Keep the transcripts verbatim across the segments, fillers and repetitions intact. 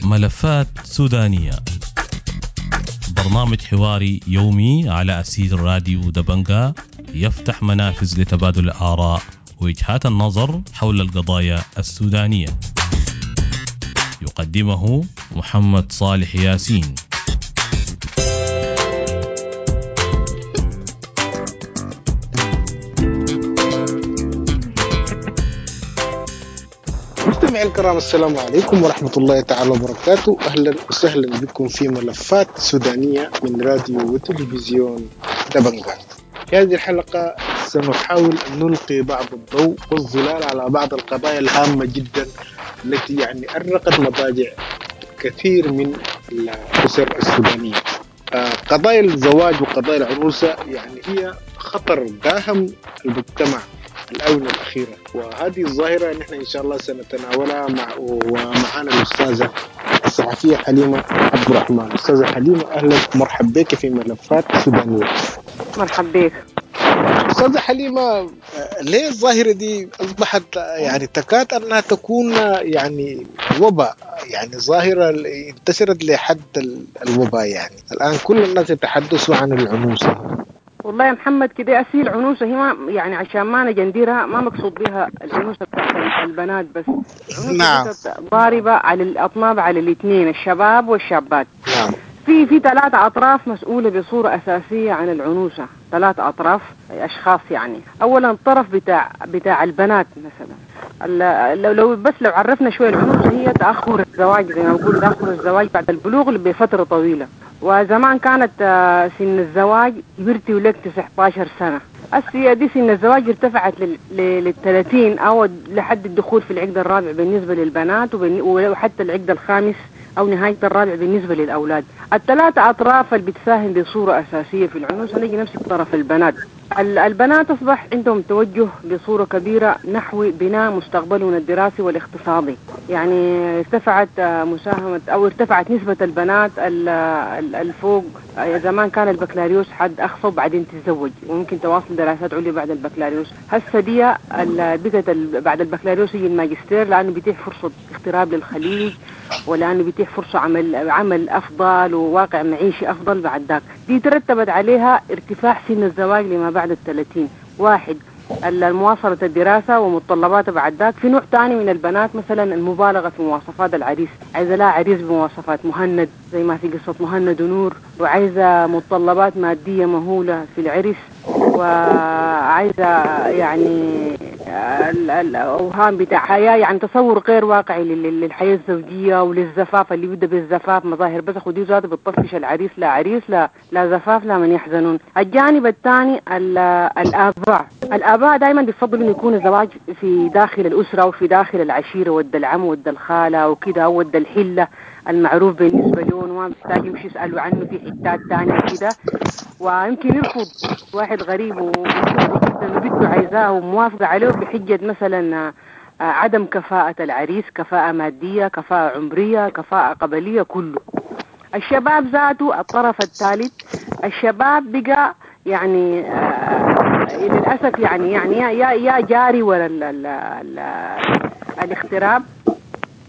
ملفات سودانية، برنامج حواري يومي على أثير راديو دبنقا، يفتح منافذ لتبادل الآراء ووجهات النظر حول القضايا السودانية. يقدمه محمد صالح ياسين. مستمعي الكرام، السلام عليكم ورحمة الله تعالى وبركاته. أهلا وسهلا بكم في ملفات سودانية من راديو وتلفزيون دبنقا. في هذه الحلقة سنحاول أن نلقي بعض الضوء والظلال على بعض القضايا الهامة جدا التي يعني أرقت مضاجع كثير من الأسر السودانية. قضايا الزواج وقضايا العروسة يعني هي خطر داهم المجتمع الآونة الأخيرة، وهذه الظاهرة نحن إن شاء الله سنتناولها مع ومعنا الأستاذة الصحفية حليمة عبد الرحمن. أستاذة حليمة، أهلا ومرحبا بك في ملفات سودانية. مرحبا بك أستاذة حليمة. ليه الظاهرة دي أصبحت يعني تكاد أنها تكون يعني وباء، يعني ظاهرة انتشرت لحد الوباء؟ يعني الآن كل الناس يتحدثوا عن العنوسة. والله يا محمد كده أسيل العنوسة هي ما يعني عشان ما نجندرها ما مقصود بها العنوسة بتاعت البنات بس. نعم. ضاربة على الأطناب على الاثنين، الشباب والشابات. نعم. في في ثلاثة أطراف مسؤولة بصورة أساسية عن العنوسة، ثلاثة أطراف أشخاص يعني. أولا الطرف بتاع بتاع البنات مثلا، لو لو بس لو عرفنا شوية العنوسة هي تأخر الزواج، زي ما بقول تأخر الزواج بعد البلوغ بفترة طويلة. وزمان كانت سن الزواج كبرتي ولك تسعة عشر سنة، هسه دي سن الزواج ارتفعت لل ثلاثين أو لحد الدخول في العقد الرابع بالنسبة للبنات، وحتى العقد الخامس أو نهاية الرابع بالنسبة للأولاد. الثلاثة أطراف اللي بتساهم بصورة أساسية في العنوسة، نجي نمسك طرف البنات. البنات أصبح عندهم توجه بصورة كبيرة نحو بناء مستقبلهم الدراسي والاقتصادي، يعني ارتفعت مساهمة أو ارتفعت نسبة البنات الفوق. زمان كان البكالوريوس حد أقصى وبعدين تتزوج وممكن تواصل دراسات عليا بعد البكالوريوس. هسه دي بقت بعد البكالوريوس يجي الماجستير، لأنه بيتيح فرصة اغتراب للخليج، ولأنه بيتيح فرصة عمل عمل أفضل وواقع معيشي أفضل بعد ذاك. دي ترتبت عليها ارتفاع سن الزواج لما بعد الثلاثين. واحد المواصلة الدراسة ومتطلباتها بعد ذاك. في نوع ثاني من البنات مثلا المبالغة في مواصفات العريس، عايزة لها عريس بمواصفات مهند زي ما في قصة مهند ونور، وعايزة متطلبات مادية مهولة في العرس، وعايزة يعني الأوهام بتاع حياة، يعني تصور غير واقعي للحياة الزوجية وللزفاف اللي بيبدأ بالزفاف مظاهر بس، ودي ذاته بتطفش العريس، لا عريس لا لا زفاف لا من يحزنون. الجانب الثاني الآباء، الآباء دائما بيفضلوا إنه يكون الزواج في داخل الأسرة وفي داخل العشيرة، ود العم ود الخالة وكده، ود الحلة المعروف بالنسبة لهم، وما بيحتاج يمشي يسألوا عنه في حتات ثانية كده. ويمكن يرفض واحد غريب وبنته عايزاه وموافقة عليه بحجة مثلا عدم كفاءة العريس، كفاءة مادية، كفاءة عمرية، كفاءة قبلية، كله. الشباب ذاته الطرف الثالث، الشباب بقى يعني آه للأسف يعني يعني يا يا جاري ولا ال ال ال الاغتراب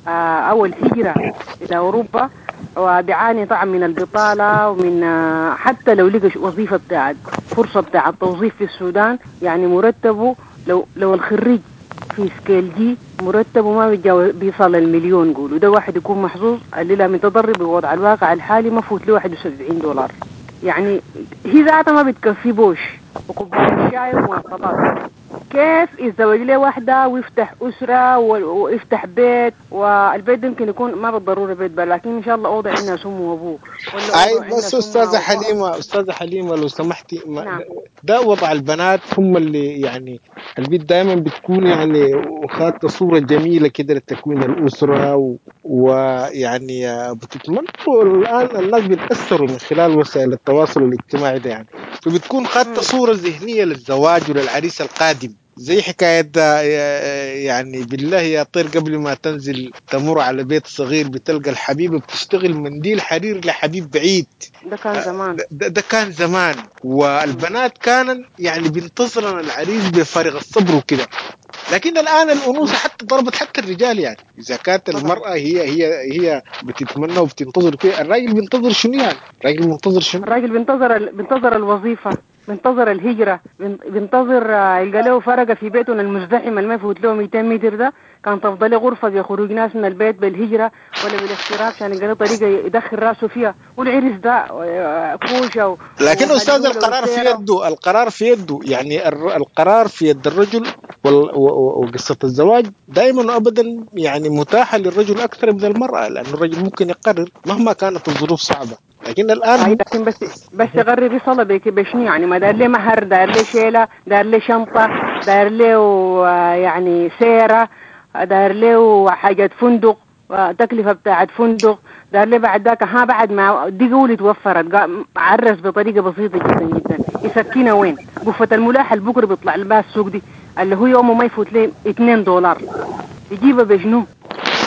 آه أو الهجرة إلى أوروبا، وبيعاني طبعا من البطالة ومن آه حتى لو لقى وظيفة بتاعت فرصة بتاعت توظيف في السودان، يعني مرتبه لو لو الخريج في scale G مرتبه ما بيتجاوز بيصل المليون قولوا، ده واحد يكون محظوظ. اللي لا متضرر بوضع الواقع الحالي ما فوت له واحد وسبعين دولار، يعني هي ذاتها ما بتكفي بوش وكوباية شاي ومواصلات. كيف يتزوج له واحدة ويفتح أسرة ويفتح بيت، والبيت ده يمكن يكون ما بالضرورة بيت بل، لكن إن شاء الله أوضع عندنا أمه وأبوه. أي بس أستاذة حليمة، أستاذة حليمة لو سمحتي، نعم. ده وضع البنات هم اللي يعني البيت دائما بتكون يعني وخدت صورة جميلة كده لتكوين الأسرة و... ويعني بتتمنى. الآن الناس بيتأثروا من خلال وسائل التواصل الاجتماعي ده يعني، فبتكون خدت صورة ذهنية للزواج وللعريس القادم، زي حكاية يعني بالله يا طير قبل ما تنزل تمر على بيت صغير بتلقى الحبيبة بتشتغل منديل حرير لحبيب بعيد. ده كان زمان، ده, ده كان زمان، والبنات كانن يعني بينتظرن العريس بفارغ الصبر وكده. لكن الان الانوثة حتى ضربت حتى الرجال يعني. اذا كانت المراة هي هي هي بتتمنى وبتنتظر كده، الراجل بينتظر شنو يعني؟ الراجل بينتظر شنو؟ الراجل بينتظر بينتظر الوظيفة، بينتظر الهجرة، بينتظر يلقى له فرقه في بيته المزدحم اللي ما يفوت له مئتين متر ده، كان تفضل له غرفة بيخرج ناس من البيت بالهجرة ولا بالاغتراب عشان يلقى له طريقه يدخل راسه فيها، والعرس ده كوشة و... لكن استاذ القرار في يده، القرار في يده يعني، القرار في يد الرجل، وقصة الزواج دائما وابدا يعني متاحة للرجل اكثر من المراة، لان الرجل ممكن يقرر مهما كانت الظروف صعبة. لكن الان لكن بس بس يقرر يصل بك بشنو يعني؟ ما دار ليه مهر، دار ليه شيله، دار ليه شنطه، دار ليه يعني سيره، دار ليه حاجة فندق، تكلفة بتاعت فندق، دار ليه بعد ذاك ها بعد ما دي قولي توفرت عرس بطريقة بسيطة جدا جدا، يسكنها وين؟ قفة الملاح البكر بيطلع لها السوق دي اللي هو يومه ما يفوت ليه اثنين دولار، يجيبها بشنو؟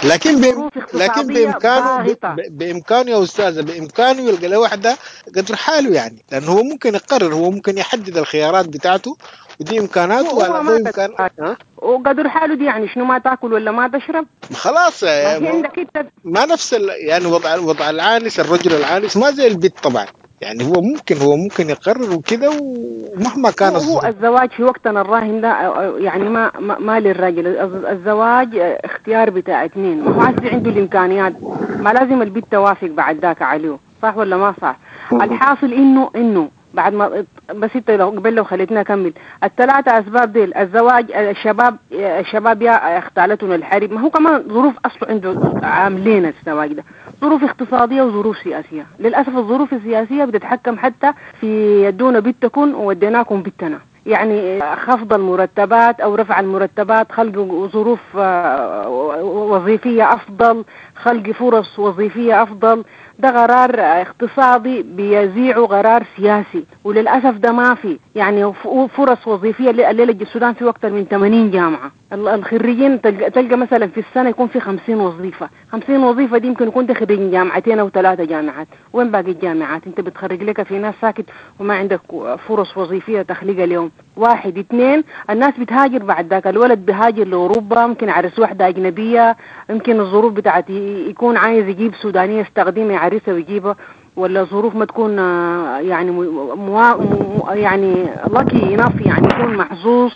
لكن بإم... لكن بامكانه ب... بامكانه يا استاذه، بامكانه يلقى له واحدة قدر حاله يعني، لانه هو ممكن يقرر، هو ممكن يحدد الخيارات بتاعته ودي امكاناته ولا ده امكان وقدر حاله دي يعني شنو؟ ما تاكل ولا ما تشرب خلاص ما, عندك انت ما نفس ال... يعني وضع وضع العانس، الرجل العانس ما زي البيت طبعا يعني، هو ممكن هو ممكن يقرر وكده، ومهما كان هو الزواج في وقتنا الراهن ده يعني ما ما, ما للراجل، الزواج اختيار بتاع اثنين، ما هو عايز عنده الامكانيات، ما لازم البنت توافق بعد ذاك عليه، صح ولا ما صح؟ الحاصل انه انه بعد ما بس انت لو قبل لو خليتنا اكمل الثلاثة اسباب ديل، الزواج، الشباب الشباب يا اختالتهم الحرب، ما هو كمان ظروف اصله عنده عاملين الزواج ده، ظروف اقتصادية وظروف سياسية. للاسف الظروف السياسية بتتحكم حتى في يدونا بنتكم ووديناكم بنتنا، يعني خفض المرتبات او رفع المرتبات، خلق ظروف وظيفية افضل، خلق فرص وظيفية افضل، ده قرار اقتصادي بيزيعه قرار سياسي، وللاسف ده ما في يعني فرص وظيفية. الليلة السودان في اكثر من ثمانين جامعه، الخريجين تلقى مثلا في السنة يكون في خمسين وظيفة، خمسين وظيفة دي يمكن يكون خريج جامعتين او ثلاثة جامعات، وين باقي الجامعات؟ انت بتخرج لك في ناس ساكت وما عندك فرص وظيفية تخليقها اليوم. واحد اثنين، الناس بتهاجر بعد ذاك، الولد بيهاجر لاوروبا، ممكن عرس واحدة اجنبية، يمكن الظروف بتاعتي يكون عايز يجيب سودانيه يستخدمها يعرسها ويجيبها، ولا ظروف ما تكون يعني مو يعني lucky enough، يعني يكون محظوظ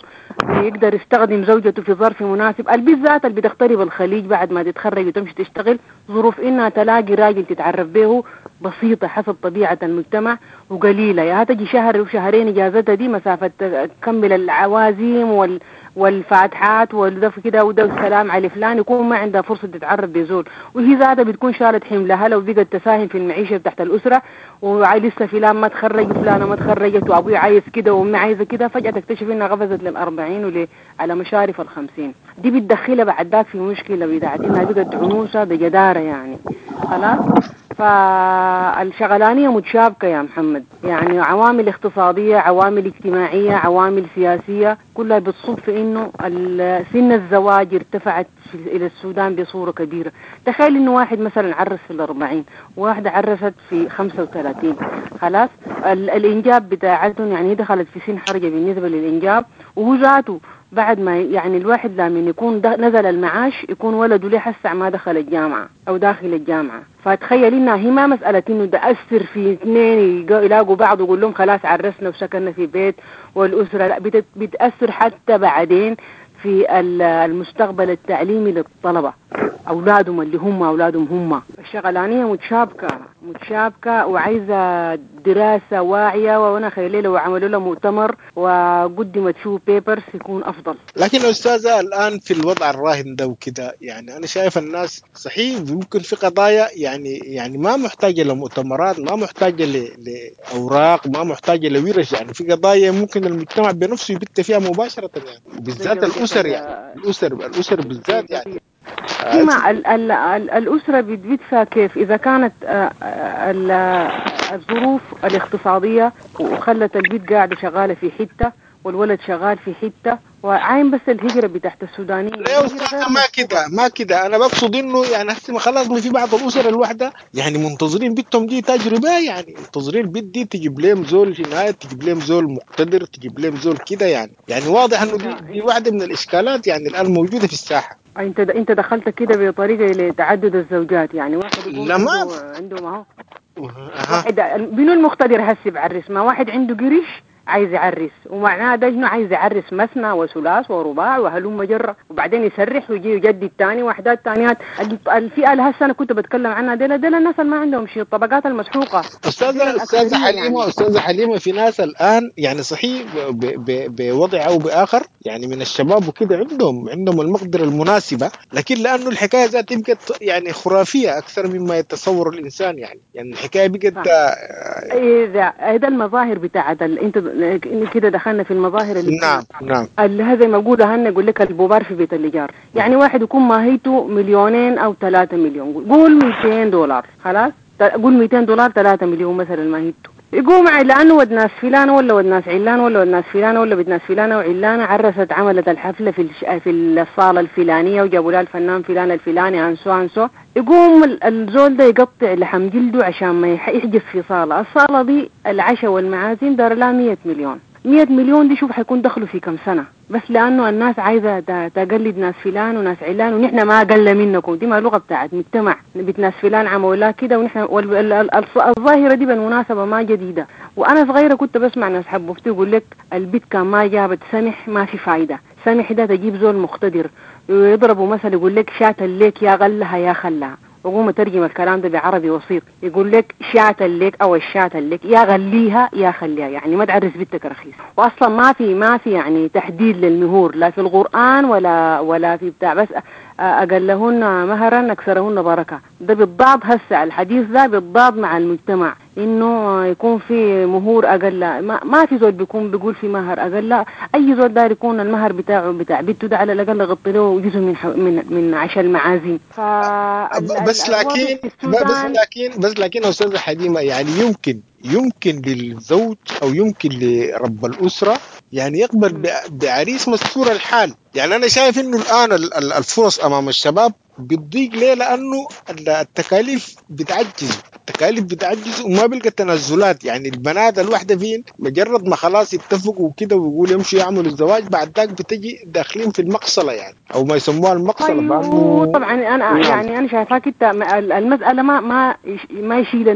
يقدر يستخدم زوجته في ظرف مناسب. البيت ذات اللي بتغترب الخليج بعد ما تتخرج وتمشي تشتغل، ظروف انها تلاقي راجل تتعرف به بسيطة حسب طبيعة المجتمع وقليلة، يا تجي شهر وشهرين اجازتها دي مسافة تكمل العوازيم وال والفاتحات والدف كده وده السلام على فلان، يكون ما عندها فرصة تتعرف بزول، وهي ذاتها بتكون شالت حملها لو بقت تساهم في المعيشة تحت الأسرة، ولسه فلان ما تخرج وفلانة ما تخرجت وأبوي عايز كده وأمي عايزة كده، فجأة تكتشف إنها غفزت للأربعين ول على مشارف الخمسين، دي بتدخلها بعد ذاك في مشكلة بتاعت إنها بقت عنوسة بجدارة يعني خلاص. فالشغلانية متشابكة يا محمد، يعني عوامل اقتصادية، عوامل اجتماعية، عوامل سياسية، كلها بتصب في انه سن الزواج ارتفعت الى السودان بصورة كبيرة. تخيل انه واحد مثلا عرس في الاربعين، وواحدة عرست في خمسة وثلاثين، خلاص الانجاب بتاعتهم يعني دخلت في سن حرجة بالنسبة للانجاب، وهو ذاته بعد ما يعني الواحد لما يكون نزل المعاش يكون ولده ليه حسع ما دخل الجامعة أو داخل الجامعة. فتخيل إنها هي ما مسألة إنه ده أثر في اثنين يلاقوا بعض ويقول لهم خلاص عرسنا وسكننا في بيت والأسرة، لا بتأثر حتى بعدين في المستقبل التعليمي للطلبة، أولادهم اللي هم أولادهم هم. الشغلانية متشابكة متشابكة وعايزة دراسة واعية، وأنا خيالي لو عملوا لها مؤتمر وقدمت فيه papers يكون أفضل. لكن أستاذة الآن في الوضع الراهن ده وكده، يعني أنا شايف الناس صحيح ممكن في قضايا يعني يعني ما محتاجة لمؤتمرات، ما محتاجة لأوراق، ما محتاجة لورش، يعني في قضايا ممكن المجتمع بنفسه يبت فيها مباشرة، يعني بالذات الأسر، يعني الأسر الأسر بالذات يعني كما ال ال ال الأسرة بتدفع كيف إذا كانت الظروف الاقتصادية وخلت البيت قاعدة شغالة في حتة والولد شغال في حتة، وعاين بس الهجرة بتاعت السودانيين. لا يا أستاذة ما كده ما كده، أنا بقصد إنه يعني هسه خلاص ما في بعض الأسر الواحدة يعني منتظرين بنتهم دي تجربة، يعني منتظرين البنت دي تجيب لهم زول هنا، تجيب لهم زول مقتدر، تجيب لهم زول كده يعني. يعني واضح إنه دي, دي واحدة من الإشكالات يعني الآن موجودة في الساحة. أنت أنت دخلت كده بطريقة لتعدد الزوجات، يعني واحد يقول عنده عنده ما هو واحد بنو المقتدر هسه بعرس، ما واحد عنده قرش عايز يعرس، ومعناه ده انه عايز يعرس مثنى وثلاث ورباع وهلم جرة، وبعدين يسرح ويجي يجدد تاني وحدات تانيات. الفئة اللي هسه انا كنت بتكلم عنها ديل ديل الناس اللي ما عندهم شيء، الطبقات المسحوقه. استاذه استاذه حليمة يعني. استاذه حليمة في ناس الان يعني صحيح بوضع او باخر يعني من الشباب وكده عندهم عندهم المقدرة المناسبة، لكن لانه الحكاية ذات بقت يعني خرافية اكثر مما يتصور الانسان، يعني يعني الحكاية بقت اذا هذا المظاهر بتاعت انت كده دخلنا في المظاهر اللي نعم نعم اللي هذا ما بقولها هن يقول لك البوبار في بيت الإيجار، يعني واحد يكون ماهيته مليونين او ثلاثة مليون، قول مئتين دولار، خلاص قول مئتين دولار ثلاثة مليون مثلا ماهيته، يقوم لانه ود ناس فلان ولا ود ناس علان ولا ود ناس فلان ولا بنت ناس فلانه وعلانه عرست عملت الحفلة في في الصاله الفلانية وجابوا لها الفنان فلان الفلاني انسو انسو، يقوم الزول ده يقطع لحم جلده عشان ما يحجز في صاله، الصاله دي العشاء والمعازيم دار لها مية مليون، مية مليون دي شوف حيكون دخله في كم سنة، بس لانه الناس عايزه تقلد ناس فلان وناس علان ونحن ما اقل منكم، دي ما لغة بتاعت مجتمع بنت ناس فلان عملوا كده ونحن الظاهرة دي بالمناسبة ما جديدة، وانا صغيرة كنت بسمع ناس حبوبتي يقول لك البيت كان ما جابت سمح ما في فايده، سمح ده تجيب زول مقتدر، ويضربوا مثل يقول لك شات الليك يا غلها يا خلها، وقوم اترجم الكلام ده بعربي وسيط، يقول لك شات الليك او الشات الليك يا غليها يا خليها، يعني ما تعرس بنتك رخيص، واصلا ما في ما في يعني تحديد للمهور لا في القرآن ولا ولا في بتاع، بس اقلهن مهرا اكثرهن بركة، ده بالضاد هسه الحديث ده بالضاد مع المجتمع انه يكون في مهور اقل، ما, ما في زول بيكون بيقول في مهر اقل، اي زول داير يكون المهر بتاعه بتاع بنته ده على الاقل يغطي له جزء من من من عشاء المعازيم. ف بس لكن بس لكن بس لكن استاذه حليمة يعني يمكن يمكن للزوج او يمكن لرب الاسرة يعني يقبل بعريس مستور الحال. يعني انا شايف انه الان الفرص امام الشباب بتضيق، ليه؟ لانه التكاليف بتعجز، التكاليف بتعجز وما بيلقى تنازلات. يعني البنات الواحدة فين مجرد ما خلاص يتفقوا وكده ويقولوا يمشوا يعملوا الزواج، بعد ذاك بتجي داخلين في المقصله، يعني او ما يسموها المقصله. طيب طبعا انا يعني انا شايفاك انت المسالة ما ما ما يشيل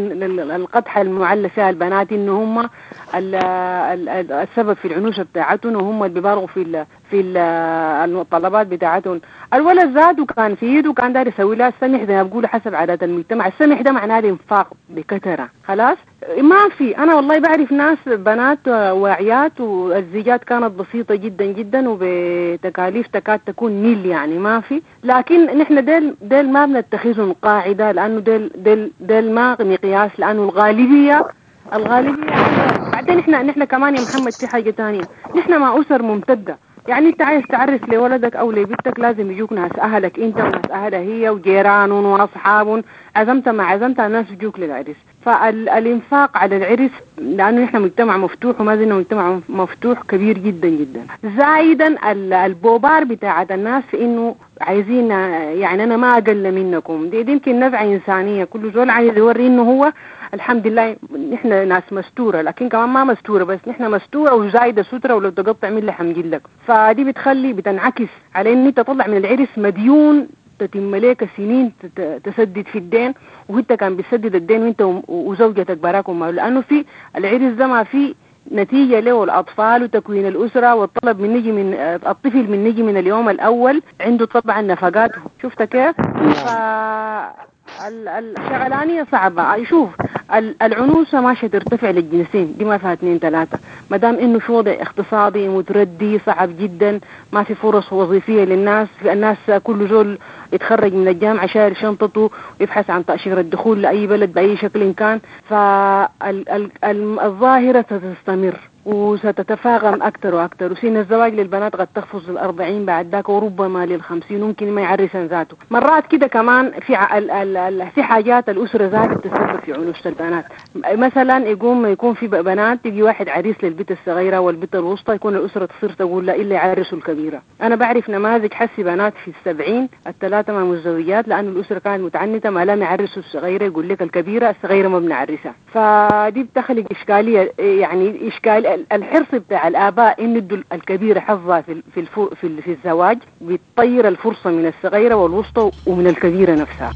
القدحه المعلى فيها البنات انه هم السبب في العنوسه بتاعتهم وهم اللي بيبالغوا في في الطلبات بتاعتهم. الولد ذاته كان في ايده كان داير يسوي لها السمح زي ما بيقولوا حسب عادات المجتمع، السمح ده معناه الانفاق بكثرة، خلاص ما في. انا والله بعرف ناس بنات واعيات والزيجات كانت بسيطة جدا جدا وبتكاليف تكاد تكون نيل، يعني ما في. لكن نحن ديل ديل ما بنتخذهم قاعدة، لانه ديل ديل ديل ما مقياس، لانه الغالبية الغالبية بعدين احنا نحن كمان يا محمد في حاجة ثانية، نحن مع اسر ممتدة، يعني انت عايز تعرس لولدك او لبنتك لازم يجوك ناس اهلك انت وناس اهلها هي وجيران واصحاب، عزمت ما عزمت الناس يجوك للعرس. فالانفاق على العرس لانه نحن مجتمع مفتوح وما زلنا مجتمع مفتوح كبير جدا جدا، زايدا البوبار بتاعت الناس انه عايزين يعني انا ما اقل منكم، دي, دي يمكن نزعه انسانيه، كل زول عايز يوري انه هو الحمد لله نحن ناس مستورة، لكن كمان ما مستورة بس نحن مستورة وزايده ستره ولو تقطع من لحم جلدك. فدي بتخلي بتنعكس على ان انت تطلع من العرس مديون تتم لك سنين تسدد في الدين، وانت كان بتسدد الدين وانت وزوجتك براكم، لانه في العرس ده ما في نتيجة له الأطفال وتكوين الأسرة والطلب من نجي من الطفل من نجي من اليوم الأول عنده طبعا نفقاته، شفت كيف؟ ف الشغلانية صعبة. شوف العنوسة ماشية ترتفع للجنسين، دي ما فيها اثنين ثلاثة، ما دام انه في وضع اقتصادي متردي صعب جدا، ما في فرص وظيفية للناس، في الناس كل زول يتخرج من الجامعة شايل شنطته ويبحث عن تأشيرة الدخول لأي بلد بأي شكل كان، فالظاهرة ستستمر. وستتفاقم أكثر وأكثر، وسن الزواج للبنات قد تقفز للأربعين بعد ذاك وربما للخمسين، ممكن ما يعرسن ذاته. مرات كده كمان في ع... ال... ال... ال... في حاجات الأسرة ذاتها بتتسبب في عنوسة البنات. مثلا يقوم يكون في بنات يجي واحد عريس للبنت الصغيرة والبنت الوسطى، يكون الأسرة تصير تقول لا إلا يعرسوا الكبيرة. أنا بعرف نماذج حسي بنات في السبعين الثلاثة ما متزوجات لأن الأسرة كانت متعنتة، ما لم يعرسوا الصغيرة، يقول لك الكبيرة الصغيرة ما بنعرسها. فدي بتخلق إشكالية، يعني إشكال الحرص بتاع الآباء إن يدوا الكبيرة حظها في في في, في الزواج، بتطير الفرصة من الصغيرة والوسطى ومن الكبيرة نفسها.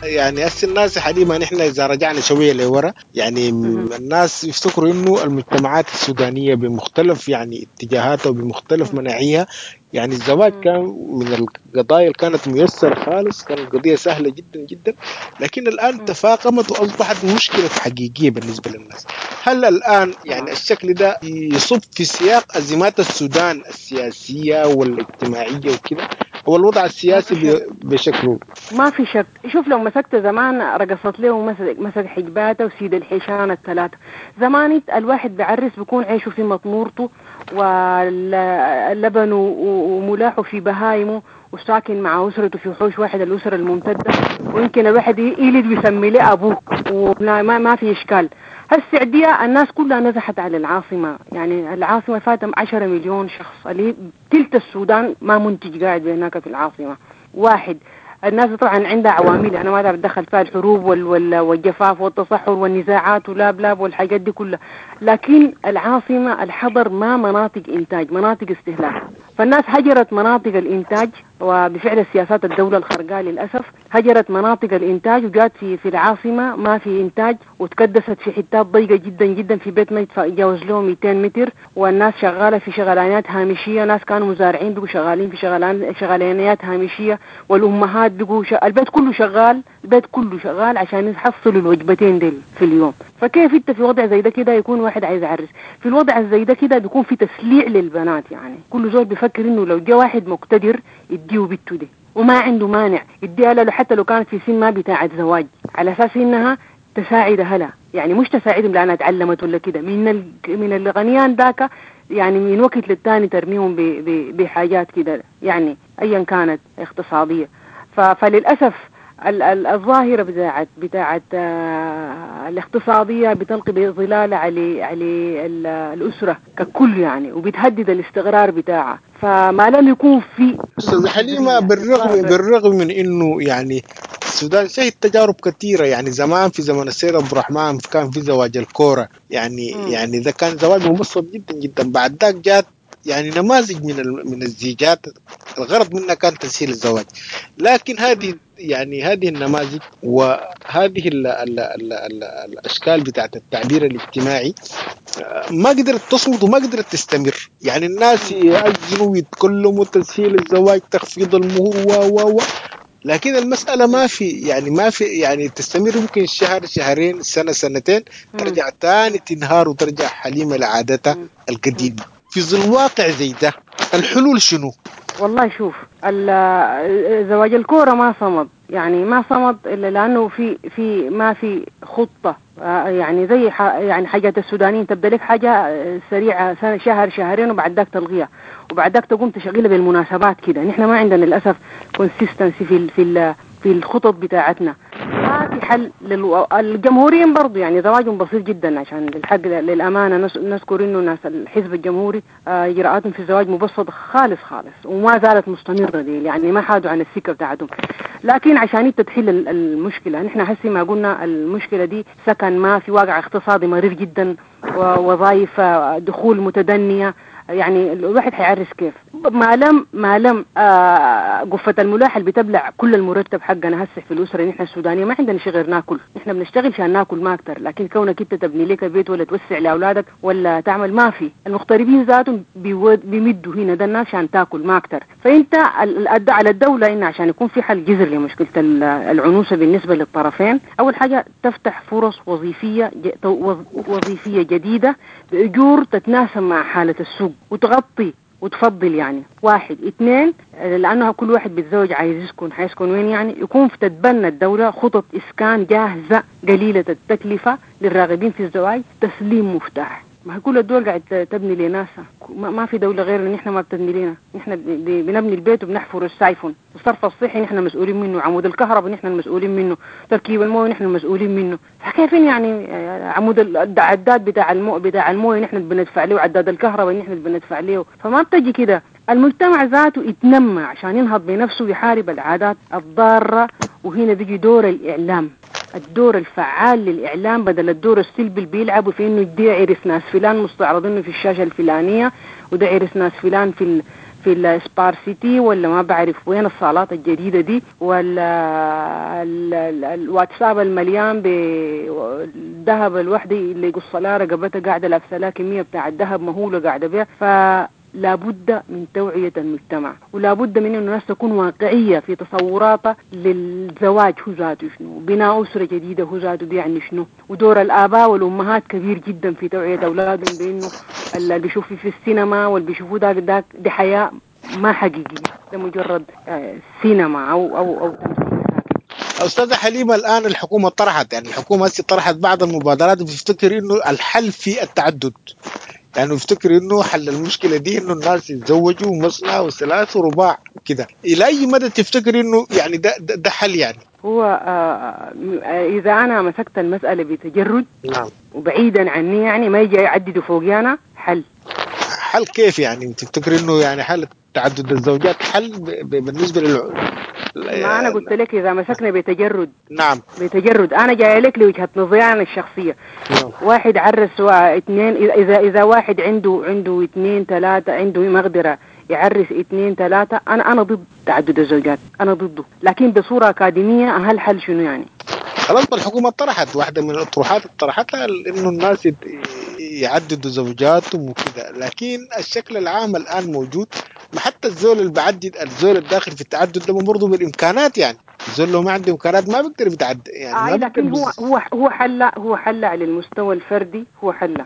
يعني هسه الناس حاليا نحن اذا رجعنا شوية لورا يعني الناس يفتكروا انه المجتمعات السودانية بمختلف يعني اتجاهاتها وبمختلف مناعيها، يعني الزواج كان من القضايا اللي كانت ميسرة خالص، كانت قضية سهلة جدا جدا، لكن الان تفاقمت واصبحت مشكلة حقيقية بالنسبة للناس. هل الان يعني الشكل ده يصب في سياق ازمات السودان السياسية والاجتماعية وكده، هو الوضع السياسي بشكله؟ ما في شك. شوف لو مسكت زمان رقصت له ومسك مسك حجباته وسيد الحيشان الثلاثة. زمان الواحد بعرس بيكون عيشه في مطمورته واللبن وملاحه في بهايمه وساكن مع أسرته في حوش واحد، الأسرة الممتدة، ويمكن الواحد يلد ويسمي له أبوه وما ما في إشكال. هالسعودية الناس كلها نزحت على العاصمة، يعني العاصمة فاتم عشرة مليون شخص، اللي تلت السودان ما منتج قاعد هناك في العاصمة. واحد الناس طبعا عندها عوامل، انا ما اتدخل فيها، الحروب وال والجفاف والتصحر والنزاعات ولاب لاب والحاجات دي كلها، لكن العاصمة الحضر ما مناطق انتاج، مناطق استهلاك. فالناس هجرت مناطق الانتاج، وبفعل السياسات الدولة الخرقاء للأسف هجرت مناطق الإنتاج وجات في في العاصمة ما في إنتاج، وتكدست في حتات ضيقة جدا جدا، في بيت ما يتجاوز له مئتين متر، والناس شغالة في شغلانات هامشية، ناس كانوا مزارعين بقوا شغالين في شغلان شغلانات هامشية، والأمهات بقوا ش... البيت كله شغال، البيت كله شغال عشان يحصلوا الوجبتين ديل في اليوم. فكيف انت في وضع زي ده كده يكون واحد عايز يعرس؟ في الوضع زي ده كده بيكون في تسليع للبنات، يعني كل زول بيفكر انه لو جاء واحد مقتدر يديه بنته دي وما عنده مانع يديها له حتى لو كانت في سن ما بتاعة زواج، على اساس انها تساعد اهلها، يعني مش تساعدهم لانها تعلمت ولا كده، من ال... من الغنيان ذاك يعني من وقت للتاني ترميهم ب... ب... بحاجات كده يعني ايا كانت اقتصادية. ف... فللاسف ال... ال... الظاهرة بتاعت بتاعت آه... الاقتصادية بتلقي بظلال على على ال... الاسرة ككل يعني، وبتهدد الاستقرار بتاعها. فما لم يكون في استاذ حليمة، بالرغم بالرغم من انه يعني السودان شهد تجارب كثيرة، يعني زمان في زمن السيد عبد الرحمن كان في زواج الكورة، يعني م. يعني ده كان زواج مبسط جدا جدا. بعد ذاك جات يعني نماذج من من الزيجات الغرض منها كان تسهيل الزواج، لكن هذه يعني هذه النماذج وهذه ال ال ال ال الاشكال بتاعت التعبير الاجتماعي ما قدرت تصمد وما قدرت تستمر. يعني الناس يأذنوا ويتكلموا تسهيل الزواج، تخفيض المهور و و و لكن المسألة ما في يعني ما في يعني تستمر يمكن شهر شهرين سنة سنتين، ترجع تاني تنهار وترجع حليمة لعادتها القديمة. في ظل واقع زي ده الحلول شنو؟ والله شوف، زواج الكورة ما صمد، يعني ما صمد إلا لأنه في في ما في خطة، يعني زي يعني حاجات السودانيين تبدأ لك حاجة سريعة سنة شهر شهرين وبعد ذاك تلغيها، وبعد ذاك تقوم تشغلها بالمناسبات كده. نحن ما عندنا للأسف consistency في في في الخطط بتاعتنا. ما في حل للو... الجمهوريين برضو يعني زواجهم بسيط جدا، عشان للحق للأمانة نذكر إنه ناس الحزب الجمهوري إجراءاتهم في الزواج مبسطة خالص خالص، وما زالت مستمرة دي، يعني ما حادوا عن السكة بتاعتهم. لكن عشان انت تحل المشكلة، نحن هسي ما قلنا المشكلة دي سكن ما في، واقع اقتصادي مرير جدا، ووظائف دخول متدنية، يعني الواحد حيعرس كيف؟ ما لم ما لم آه قفة الملاح اللي بتبلع كل المرتب حقنا هسه في الأسرة. نحن السودانية ما عندنا شيء غير ناكل، نحن بنشتغل عشان ناكل ما أكتر، لكن كونك انت تبني لك بيت ولا توسع لأولادك ولا تعمل ما في. المغتربين ذاتهم بيمدوا هنا ده الناس عشان تاكل ما أكتر. فأنت الأداء على الدولة إن عشان يكون في حل جذري لمشكلة العنوسة بالنسبة للطرفين، أول حاجة تفتح فرص وظيفية وظيفية جديدة بأجور تتناسب مع حالة السوق وتغطي وتفضل، يعني واحد. اثنين، لأنه كل واحد بيتزوج عايز يسكن، حيسكن وين يعني؟ يكون في تتبنى الدولة خطط إسكان جاهزة قليلة التكلفة للراغبين في الزواج، تسليم مفتاح. ما كل الدول قاعد تبني لناسها، ما في دولة غير ان احنا ما بتبني لنا. نحن بنبني البيت وبنحفر السايفون، الصرف الصحي نحن مسؤولين منه، عمود الكهرباء نحن المسؤولين منه، تركيب المويه نحن المسؤولين منه. فكيفين يعني عمود العداد بتاع المو بتاع المويه نحن بندفع له، وعداد الكهرباء نحن بندفع له. فما بتجي كده. المجتمع ذاته يتنمى عشان ينهض بنفسه ويحارب العادات الضارة، وهنا بيجي دور الإعلام، الدور الفعال للإعلام بدل الدور السلبي اللي بيلعبوا في إنه دي عرس ناس فلان مستعرضينه في الشاشة الفلانية، وده عرس ناس فلان في ال في السبار سيتي ولا ما بعرف وين الصالات الجديدة دي، ولا الواتساب المليان بالذهب الوحدة اللي يقص لها رقبتها قاعدة لابسة لها كمية بتاع الذهب مهولة قاعدة بيها. ف لابد من توعية المجتمع، ولابد من أن الناس تكون واقعية في تصوراتها للزواج هو ذاته شنو، بناء أسرة جديدة هو ذاته بيعني شنو، ودور الآباء والأمهات كبير جدا في توعية أولادهم بأنه اللي بيشوفوا في السينما واللي بيشوفوه داك داك دي حياة ما حقيقية، ده مجرد سينما أو أو أو تمثيل. أستاذة حليمة، الآن الحكومة طرحت، يعني الحكومة طرحت بعض المبادرات وبتفتكر إنه الحل في التعدد، يعني افتكر انه حل المشكلة دي انه الناس يتزوجوا مثنى وثلاث ورباع كده. الى اي مدى تفتكر انه يعني ده, ده, ده حل؟ يعني هو آه اذا انا مسكت المسالة بتجرد، نعم، وبعيدا عني، يعني ما يجي يعددوا فوقي انا، حل. حل كيف يعني؟ تفتكر انه يعني حل تعدد الزوجات حل بالنسبة لل ما انا قلت لك اذا مسكنا بتجرد، نعم، بتجرد. انا جاي لك لوجهه نظري انا الشخصية. نعم. واحد عرس واثنين، اذا اذا واحد عنده عنده اثنين ثلاثة، عنده مقدره يعرس اثنين ثلاثة، انا انا ضد تعدد الزوجات، انا ضده، لكن بصورة اكاديمية هل حل شنو يعني؟ خلاص الحكومة طرحت واحدة من الاطروحات اللي طرحتها انه الناس يعددوا زوجاتهم وكذا، لكن الشكل العام الان موجود. ما حتى الزول اللي بعدد، الزول الداخل في التعدد ده برضه بالامكانات، يعني الزول لو ما عنده امكانات ما بيقدر يتعدد يعني. آه لكن هو هو هو حل، هو حل على المستوى الفردي، هو حل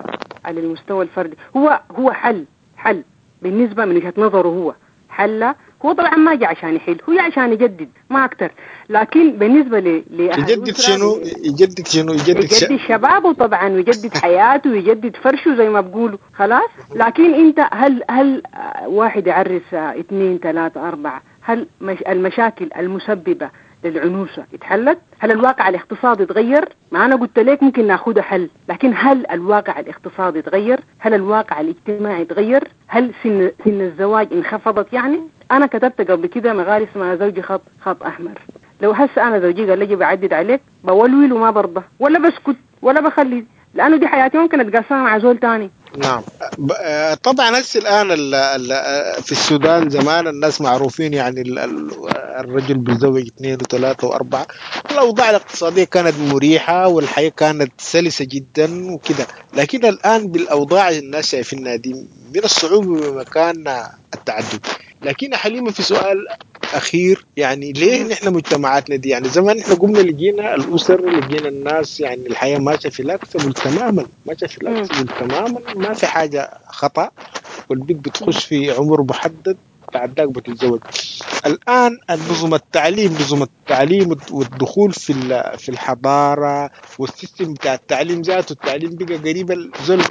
على المستوى الفردي، هو هو حل حل بالنسبة من وجهه نظره، هو حل. هو طبعا ما جاء عشان يحل، هو جاء عشان يجدد ما اكثر. لكن بالنسبة ل يجدد شنو؟ يجدد شنو؟ يجدد, يجدد شبابه طبعا، ويجدد حياته، ويجدد فرشه زي ما بقولوا، خلاص. لكن انت هل هل واحد يعرس اثنين ثلاثة أربعة، هل المشاكل المسببة للعنوسة اتحلت؟ هل الواقع الاقتصادي تغير؟ ما أنا قلت لك ممكن ناخدها حل، لكن هل الواقع الاقتصادي تغير؟ هل الواقع الاجتماعي تغير؟ هل سن سن الزواج انخفضت؟ يعني أنا كتبت قبل كده مقال اسمها زوجي خط خط أحمر. لو هسه أنا زوجي قال لي بعدد عليك بولول وما برضى ولا بسكت ولا بخلي، لأنه دي حياتي ممكن أتقاسمها مع زول تاني. نعم طبعا. هسه الآن ال ال في السودان زمان الناس معروفين، يعني ال ال الرجل بيتزوج اثنين وثلاثة وأربعة. الأوضاع الاقتصادية كانت مريحة والحياة كانت سلسة جدا وكده، لكن الآن بالأوضاع الناس شايفينها دي من الصعوبة بمكان التعدد. لكن حليمة في سؤال أخير، يعني ليه نحن مجتمعاتنا دي، يعني زمان نحن قمنا لقينا الأسر، لقينا الناس، يعني الحياة ماشية flexible تماما، ماشية flexible تماما، ما في حاجة خطأ، والبنت بتخش في عمر محدد بعد ذاك بتتزوج. الان النظم التعليم نظم التعليم والدخول في في الحضارة وال system بتاع التعليم ذاته، التعليم بقى قريب الزول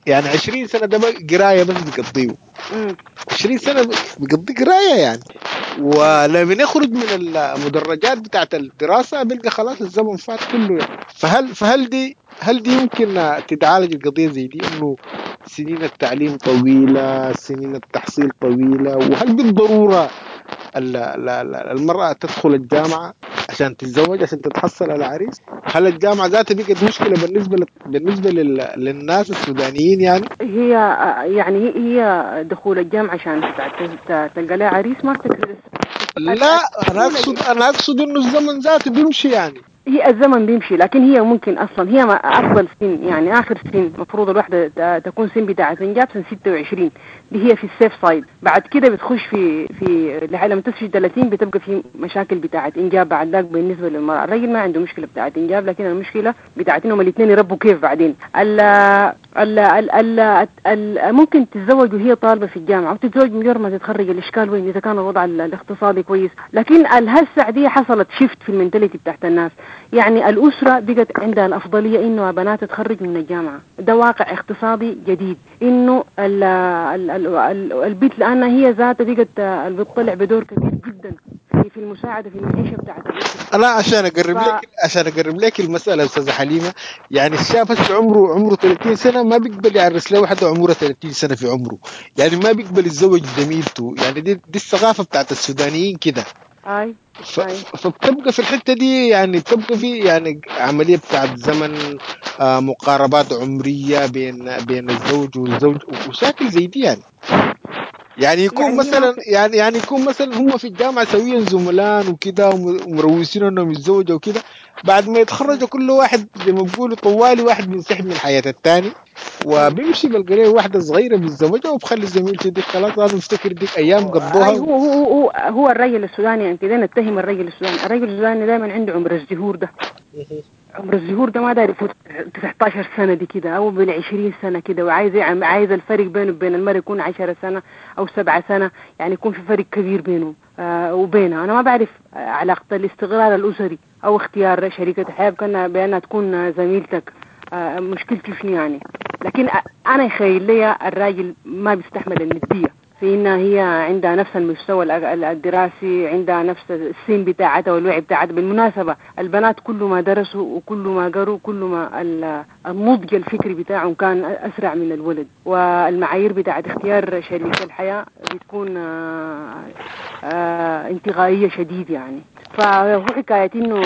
يعني عشرين سنة ده قرايه بس بيقضيه، عشرين سنة بيقضي قرايه يعني، ولما يخرج من المدرجات بتاعت الدراسة بيلقى خلاص الزمن فات كله يعني. فهل فهل دي هل دي يمكن تتعالج القضية زي دي، انه سنين التعليم طويلة، سنين التحصيل طويلة، وهل بالضرورة المرأة تدخل الجامعة عشان تتزوج عشان تتحصل على عريس؟ هل الجامعة ذاتها بقت مشكلة بالنسبة ل... بالنسبة لل... للناس السودانيين يعني؟ هي يعني هي دخول الجامعة عشان تلقى لها عريس ما بتكرر. لا أنا أقصد أنا أقصد إنه الزمن ذاته بيمشي يعني، هي الزمن بيمشي، لكن هي ممكن اصلا هي ما افضل سن يعني اخر سن مفروض الواحدة تكون سن بتاعه انجاب سن ستة وعشرين، دي هي في ال safe side. بعد كده بتخش في في لما تصل ثلاثين بتبقى في مشاكل بتاعه انجاب بعد ذاك بالنسبة للمراة. الرجل ما عنده مشكلة بتاعه انجاب، لكن المشكلة بتاعه انهم الاثنين يربوا كيف بعدين. ال ال ال ال ال ممكن تتزوج وهي طالبه في الجامعة وتتزوج مجرد ما تتخرج، الاشكال وين اذا كان الوضع الاقتصادي كويس. لكن الهسه دي حصلت shift في ال mentality بتاعت الناس، يعني الأسرة بقت عندها الأفضلية إنه بنات تتخرج من الجامعة، ده واقع اقتصادي جديد، إنه ال ال ال البيت لأنها هي ذاتها بقت بتطلع بدور كبير جدا في في المساعدة في المعيشة بتاعت الأسرة. أنا عشان أقرب ف... لك عشان أقرب لك المسألة أستاذة حليمة، يعني الشاب هسه عمره عمره ثلاثين سنة ما بيقبل يعرس له واحدة عمره ثلاثين سنة في عمره، يعني ما بيقبل يتزوج زميلته، يعني دي دي الثقافة بتاعت السودانيين كده. أي. ف... فبتبقى في الحتة دي يعني بتبقى في يعني عملية بتاعت زمن، آه مقاربات عمرية بين بين الزوج والزوج ومشاكل زي دي يعني. يعني يكون يعني مثلا يعني يعني يكون مثلا هم في الجامعة سويا زملان وكده ومروسين انهم يتزوجوا وكده، بعد ما يتخرجوا كل واحد زي ما بيقولوا طوالي واحد بينسحب من حياة الثاني وبيمشي بلقى له واحدة صغيرة بيتزوجها وبخلي زميلته دي خلاص انا مفتكر ديك ايام قضوها. هو هو هو هو الرجل السوداني يعني كده نتهم الرجل السوداني، الرجل السوداني دائما عنده عمر الزهور ده، عمر الزهور ده ما داير يفوت تسعة عشر سنة دي كده او بالعشرين سنة كده، وعايز عايز الفرق بينه وبين المرأة يكون عشرة سنة او سبعة سنة، يعني يكون في فرق كبير بينه آه وبينها. انا ما بعرف علاقة الاستقرار الاسري او اختيار شريكة حياة كان بانها تكون زميلتك آه مشكلته شنو يعني، لكن انا يخيل لي الراجل ما بيستحمل الندية في انها هي عندها نفس المستوى الدراسي، عندها نفس السن بتاعتها والوعي بتاعتها. بالمناسبة البنات كل ما درسوا وكل ما قروا كل ما النضج الفكري بتاعهم كان اسرع من الولد، والمعايير بتاعت اختيار شريك الحياة بتكون انتقائية شديد يعني. فهو حكاية انه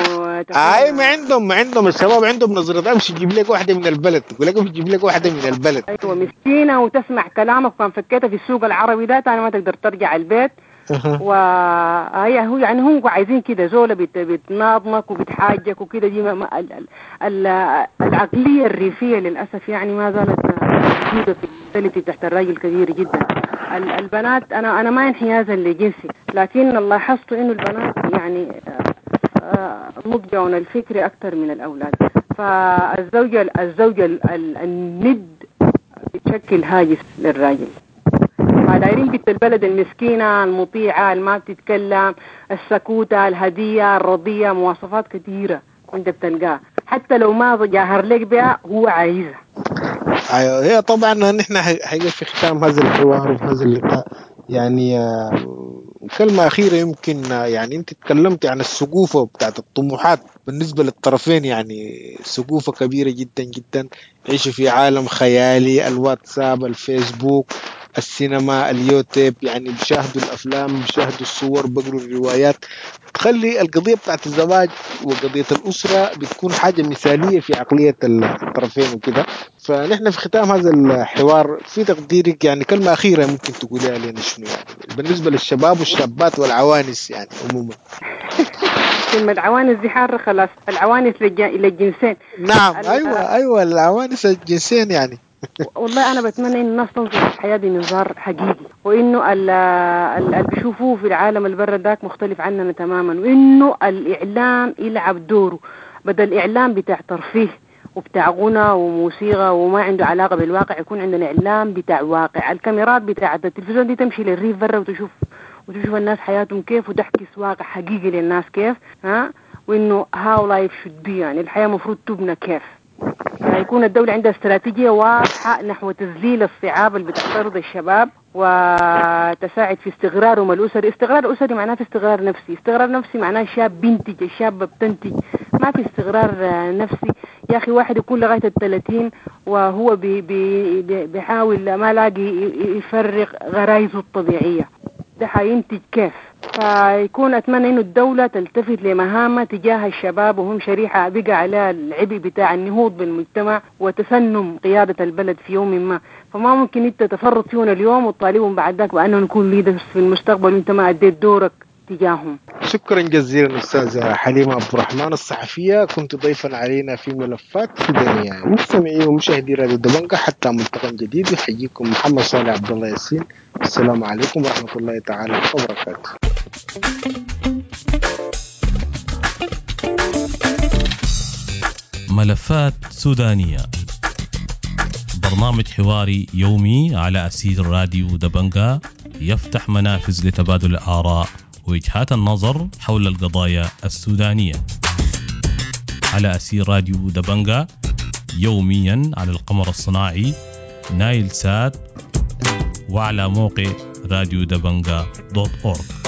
اي ما عندهم ما عندهم الشباب عندهم نظرة امشي جيب لك واحدة من البلد، يقول لك امشي جيب لك واحدة من البلد. ايوه مسكينة وتسمع كلامك، كان فكيتها في السوق العربي ده تاني ما تقدر ترجع البيت. وهي هو يعني هم عايزين كده زولة بت بتناضمك وبتحاجك وكده. دي ما ال ال العقلية الريفية للأسف يعني ما زالت موجودة في ال mentality تحت الراجل كبير جدا. البنات أنا أنا ما انحيازا لجنسي، لكن لاحظت إنه البنات يعني نضجهم الفكري أكثر من الأولاد، فالزوجة الزوجة الند بتشكل هاجس للراجل. فدايرين بنت البلد المسكينة المطيعة اللي ما بتتكلم، السكوتة، الهدية، الرضية، مواصفات كثيرة انت بتلقاها حتى لو ما جاهر لك بها هو عايزها. ايوه هي طبعا نحن حقيقة في ختام هذا الحوار وهذا اللقاء يعني كلمة أخيرة يمكن، يعني أنت تكلمت عن السقوفة بتاعت الطموحات بالنسبة للطرفين، يعني سقوفة كبيرة جدا جدا، يعيشوا في عالم خيالي، الواتساب، الفيسبوك، السينما، اليوتيوب، يعني بيشاهدوا الأفلام، بيشاهدوا الصور، بيقروا الروايات. تخلي القضية بتاعت الزواج وقضية الأسرة بتكون حاجة مثالية في عقلية الطرفين وكده. فنحن في ختام هذا الحوار في تقديرك يعني كلمة أخيرة ممكن تقوليها لنا شنو يعني بالنسبة للشباب والشابات والعوانس يعني عموما؟ كلمة العوانس دي حارة خلاص، العوانس للجنسين. نعم أيوة أيوة العوانس الجنسين يعني. والله أنا بتمنى إن الناس تنظر للحياة بمنظار حقيقي، وإنه اللي بيشوفوه في العالم البر داك مختلف عننا تماما، وإنه الإعلام يلعب دوره بدل الإعلام بتاع ترفيه وبتاع غنى وموسيقى وما عنده علاقة بالواقع، يكون عندنا إعلام بتاع واقع. الكاميرات بتاعة التلفزيون دي تمشي للريف برا وتشوف وتشوف الناس حياتهم كيف، وتحكي واقع حقيقي للناس كيف، ها، وإنه how life should be، يعني الحياة مفروض تبنى كيف. يكون الدولة عندها استراتيجية واضحة نحو تذليل الصعاب اللي بتعترض الشباب وتساعد في استقرارهم الأسري. استقرار أسري معناه في استقرار نفسي، استقرار نفسي معناه الشاب بينتج، الشابة بتنتج، ما في استقرار نفسي. يا أخي واحد يكون لغاية الثلاثين وهو بي بي بيحاول ما لاقي يفرغ غرايزه الطبيعية، ده حينتج كيف؟ فيكون أتمنى إنه الدولة تلتفت لمهامها تجاه الشباب، وهم شريحة بقى عليها العبء بتاع النهوض بالمجتمع وتسنم قيادة البلد في يوم ما. فما ممكن أنت تفرط فيهم اليوم وتطالبهم بعد ذاك بأنهم يكونوا leaders في المستقبل وأنت ما أديت دورك تجاههم. شكرا جزيلا أستاذة حليمة عبد الرحمن الصحفية، كنت ضيفا علينا في ملفات سودانية. مستمعي ومشاهدي راديو دبنقا، حتى ملتقى جديد يحييكم محمد صالح عبد الله ياسين. السلام عليكم ورحمة الله تعالى وبركاته. ملفات سودانية، برنامج حواري يومي على أثير راديو دبنقا، يفتح منافذ لتبادل الآراء ووجهات النظر حول القضايا السودانية على أثير راديو دبنقا، يوميا على القمر الصناعي نايل سات وعلى موقع راديو دبنقا دوت أورج.